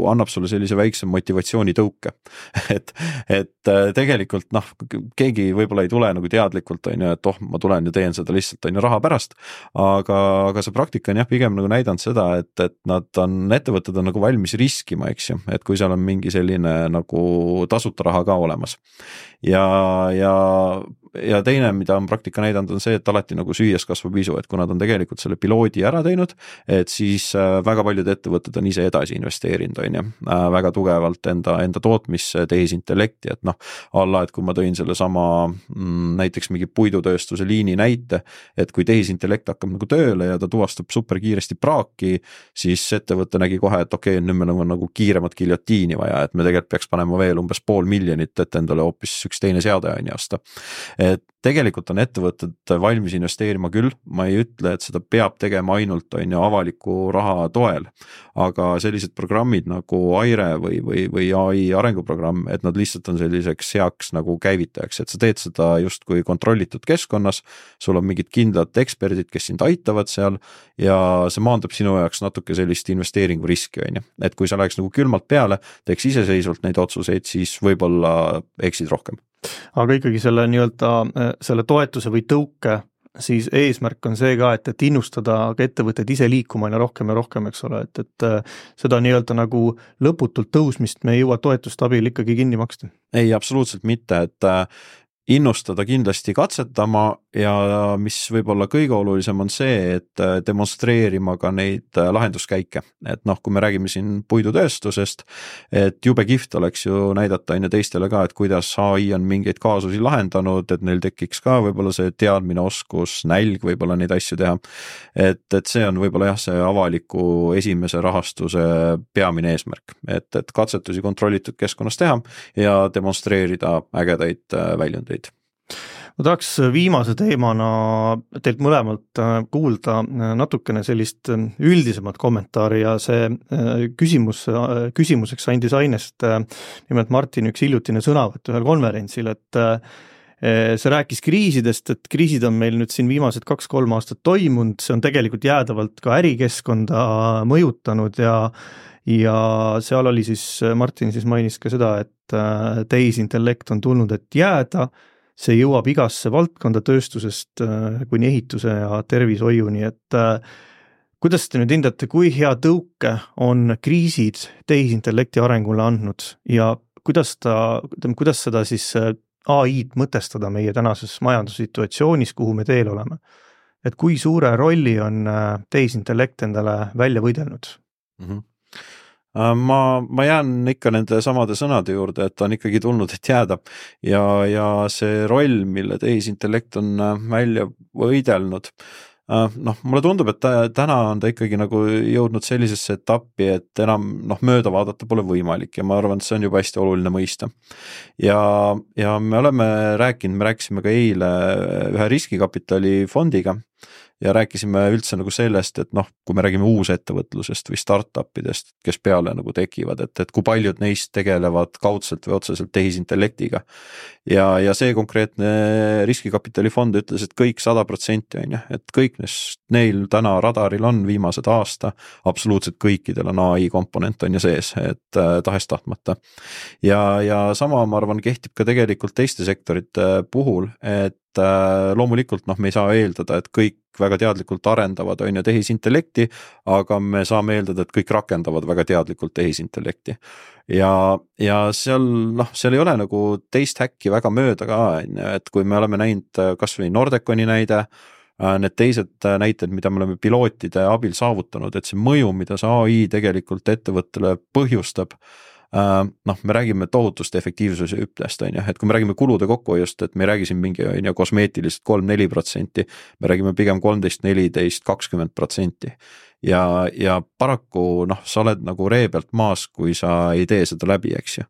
annab sulle sellise väikse motivatsiooni tõuke. et tegelikult keegi võib-olla ei tule nagu teadlikult, on ju, et ma tulen ja teen seda lihtsalt on ju raha pärast, aga see praktika on jah pigem nagu näidanud seda, et ettevõtted on nagu valmis riskima, eks ju, et kui seal on mingi selline nagu tasuta raha ka olemas. Ja teine, mida on praktika näidanud, on see, et alati nagu süües kasvab isu, et kui nad on tegelikult selle piloodi ära teinud, et siis väga paljud ettevõtted on ise edasi investeerinud, on ju, väga tugevalt enda tootmisse tehisintellekti, et et kui ma tõin selle sama näiteks mingi puidutööstuse liini näite, et kui tehisintellekt hakkab nagu tööle ja ta tuvastab super kiiresti praaki, siis ettevõte nägi kohe, et okei, nüüd meil on nagu kiiremat giljotiini vaja, et me tegelikult peaks panema veel umbes 500 000, et endale hoopis üks teine seade on jasta. Et tegelikult on ettevõtted valmis investeerima küll, ma ei ütle, et seda peab tegema ainult on ju avaliku raha toel, aga sellised programmid nagu Aire või AI arenguprogramm, et nad lihtsalt on selliseks heaks nagu käivitajaks, et sa teed seda just kui kontrollitud keskkonnas, sul on mingid kindlad eksperdid, kes sind aitavad seal ja see maandab sinu jaoks natuke sellist investeeringuriski, on ju. Et kui sa läheks nagu külmalt peale, teeks iseseisvalt neid otsuseid, siis võib-olla eksid rohkem. Aga ikkagi selle toetuse või tõuke, siis eesmärk on see ka, et innustada ka ettevõtted ise liikuma ja rohkem, eks ole, et seda nagu lõputult tõusmist me ei jõua toetust abil ikkagi kinni maksta. Ei, absoluutselt mitte, et innustada kindlasti katsetama ja mis võib-olla kõige olulisem on see, et demonstreerima ka neid lahenduskäike. Et kui me räägime siin puidutööstusest, et jube kihvt oleks ju näidata teistele ka, et kuidas AI on mingeid kaasusi lahendanud, et neil tekiks ka võib-olla see teadmine, oskus, nälg võib-olla neid asju teha. Et see on võib-olla jah, see avaliku esimese rahastuse peamine eesmärk, et katsetusi kontrollitud keskkonnas teha ja demonstreerida ägedaid väljundeid. Ma tahaks viimase teemana teilt mõlemalt kuulda natukene sellist üldisemat kommentaari ja see küsimuseks andis ainest nimelt Martin üks hiljutine sõnavõtt ühel konverentsil, et see rääkis kriisidest, et kriisid on meil nüüd siin viimased 2-3 aastat toimunud, see on tegelikult jäädavalt ka ärikeskkonda mõjutanud ja seal oli siis, Martin siis mainis ka seda, et tehisintellekt on tulnud, et jääda, see jõuab igasse valdkonda tööstusest kuni ehituse ja tervishoiuni, et kuidas te nüüd hindate, kui hea tõuke on kriisid tehisintellekti arengule andnud ja kuidas seda siis AI-d mõtestada meie tänases majandussituatsioonis, kuhu me teel oleme? Et kui suure rolli on tehisintellekt endale välja võidelnud? Mm-hmm. Ma jään ikka nende samade sõnade juurde, et on ikkagi tulnud, et jääda ja see roll, mille tehisintellekt on välja võidelnud, Mulle tundub, et täna on ta ikkagi nagu jõudnud sellisesse etappi, et enam mööda vaadata pole võimalik ja ma arvan, et see on juba hästi oluline mõista. Ja me rääkisime ka eile ühe riskikapitali fondiga ja rääkisime üldse nagu sellest, et kui me räägime uusettevõtlusest või startupidest, kes peale nagu tekivad, et kui paljud neist tegelevad kaudselt või otseselt tehisintellektiga. Ja see konkreetne riskikapitali fond ütles, et kõik 100% on ju, et kõik neil täna radaril on viimased aasta, absoluutselt kõikidel on AI komponent on ju sees, et tahes tahtmata. Ja sama, ma arvan, kehtib ka tegelikult teiste sektorite puhul, et loomulikult me ei saa eeldada, et kõik väga teadlikult arendavad on ju tehisintellekti, aga me saame eeldada, et kõik rakendavad väga teadlikult tehisintellekti. Ja seal ei ole nagu teist häkki väga mööda ka, et kui me oleme näinud kas või Nordeconi näide, need teised näited, mida me oleme pilootide abil saavutanud, et see mõju, mida see AI tegelikult ettevõttele põhjustab, me räägime tohutust efektiivsuse hüppest, et kui me räägime kulude kokkuhoiust, et me ei räägi siin mingi kosmeetilist 3-4%, me räägime pigem 13-14-20%. Ja paraku sa oled nagu ree pealt maas, kui sa ei tee seda läbi, eks ju.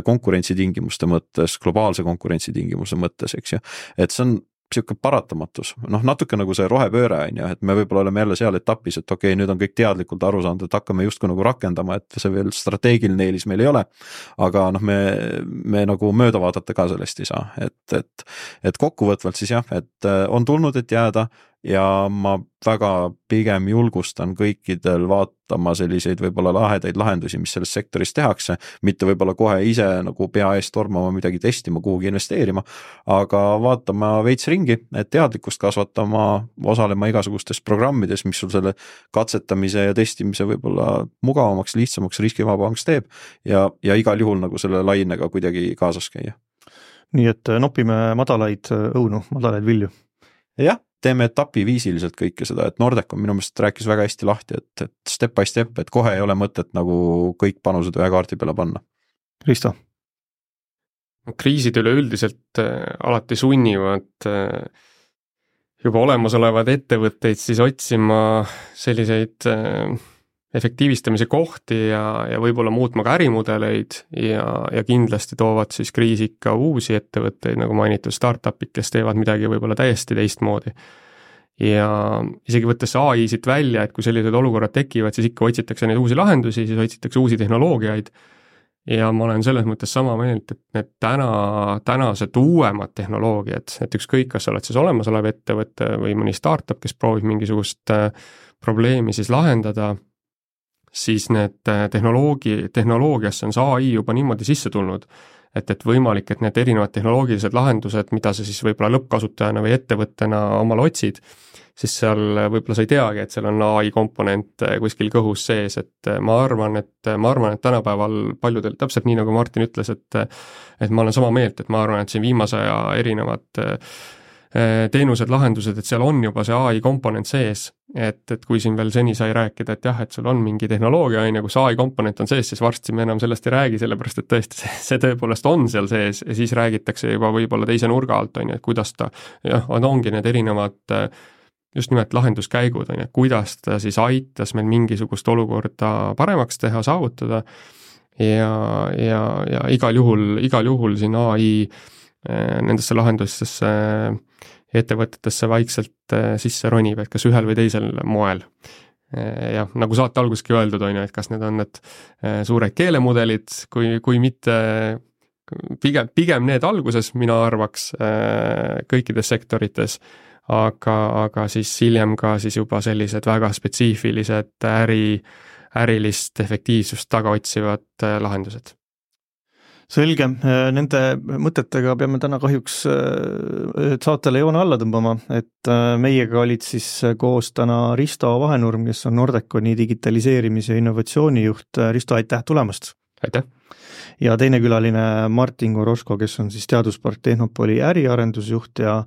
Konkurentsitingimuste mõttes, globaalse konkurentsitingimuse mõttes, eks ju. Et see on siuke paratamatus, natuke nagu see rohepööre on ju, et me võib-olla oleme jälle seal etapis, et okei, nüüd on kõik teadlikult aru saanud, et hakkame justkui nagu rakendama, et see veel strateegiline eelis meil ei ole, aga me nagu mööda vaadata ka sellest ei saa, et kokkuvõtvalt siis jah, et on tulnud, et jääda ja ma väga pigem julgustan kõikidel vaatama selliseid võib-olla lahedaid lahendusi, mis selles sektoris tehakse, mitte võib-olla kohe ise nagu pea eest tormama midagi testima, kuhugi investeerima, aga vaatama veits ringi, et teadlikkust kasvatama, osalema igasugustes programmides, mis sul selle katsetamise ja testimise võib-olla mugavamaks, lihtsamaks, riskivabamaks teeb ja igal juhul nagu selle lainega kuidagi kaasas käia. Nii et nopime madalaid õunu, madalaid vilju. Jah, teeme etapiviisiliselt kõike seda, et Nordecon minu meelest rääkis väga hästi lahti, et step by step, et kohe ei ole mõtet nagu kõik panused ühe kaardi peale panna. Risto? Kriisid üleüldiselt alati sunnivad juba olemasolevad ettevõtteid siis otsima selliseid efektiivistamise kohti ja võib-olla muutma ka ärimudeleid ja kindlasti toovad siis kriisi ikka uusi ettevõtteid, nagu mainitud startupid, kes teevad midagi võib-olla täiesti teistmoodi. Ja isegi võttes AI siit välja, et kui sellised olukorrad tekivad, siis ikka otsitakse neid uusi lahendusi, siis otsitakse uusi tehnoloogiaid ja ma olen selles mõttes sama meelt, et need tänased uuemad tehnoloogiad, et ükskõik, kas sa oled siis olemasolev ettevõte või mõni startup, kes proovib mingisugust probleemi siis lahendada, siis need tehnoloogiasse on see AI juba niimoodi sisse tulnud, et võimalik, et need erinevad tehnoloogilised lahendused, mida sa siis võib-olla lõppkasutajana või ettevõttena omal otsid, siis seal võib-olla sa ei teagi, et seal on AI komponent kuskil kõhus sees, et ma arvan, et tänapäeval paljudel, täpselt nii nagu Martin ütles, et ma olen sama meelt, et ma arvan, et siin viimase aja erinevad teenused, lahendused, et seal on juba see AI komponent sees, et kui siin veel seni sai rääkida, et jah, et sul on mingi tehnoloogia, kus AI komponent on sees, siis varsti me enam sellest ei räägi, sellepärast et tõesti see tõepoolest on seal sees ja siis räägitakse juba võib-olla teise nurga alt, et kuidas ta, ongi need erinevad just nimelt lahenduskäigud, kuidas ta siis aitas meil mingisugust olukorda paremaks teha, saavutada ja igal juhul siin AI nendesse lahendustesse ettevõtetesse vaikselt sisse ronib, et kas ühel või teisel moel. Ja nagu saate alguski öeldud, et kas need on need suured keelemudelid, kui mitte pigem need alguses, mina arvaks kõikides sektorites, aga siis hiljem ka siis juba sellised väga spetsiifilised ärilist efektiivsust taga otsivad lahendused. Selge, nende mõtetega peame täna kahjuks saatele joone alla tõmbama, et meiega olid siis koos täna Risto Vahenurm, kes on Nordeconi digitaliseerimise ja innovatsioonijuht. Risto, aitäh tulemast! Aitäh! Ja teine külaline Martin Goroško, kes on siis Teaduspark Tehnopoli äriarendusjuht ja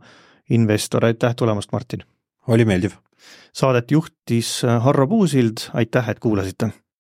investor. Aitäh tulemast, Martin! Oli meeldiv! Saadet juhtis Harro Puusild, aitäh, et kuulasite!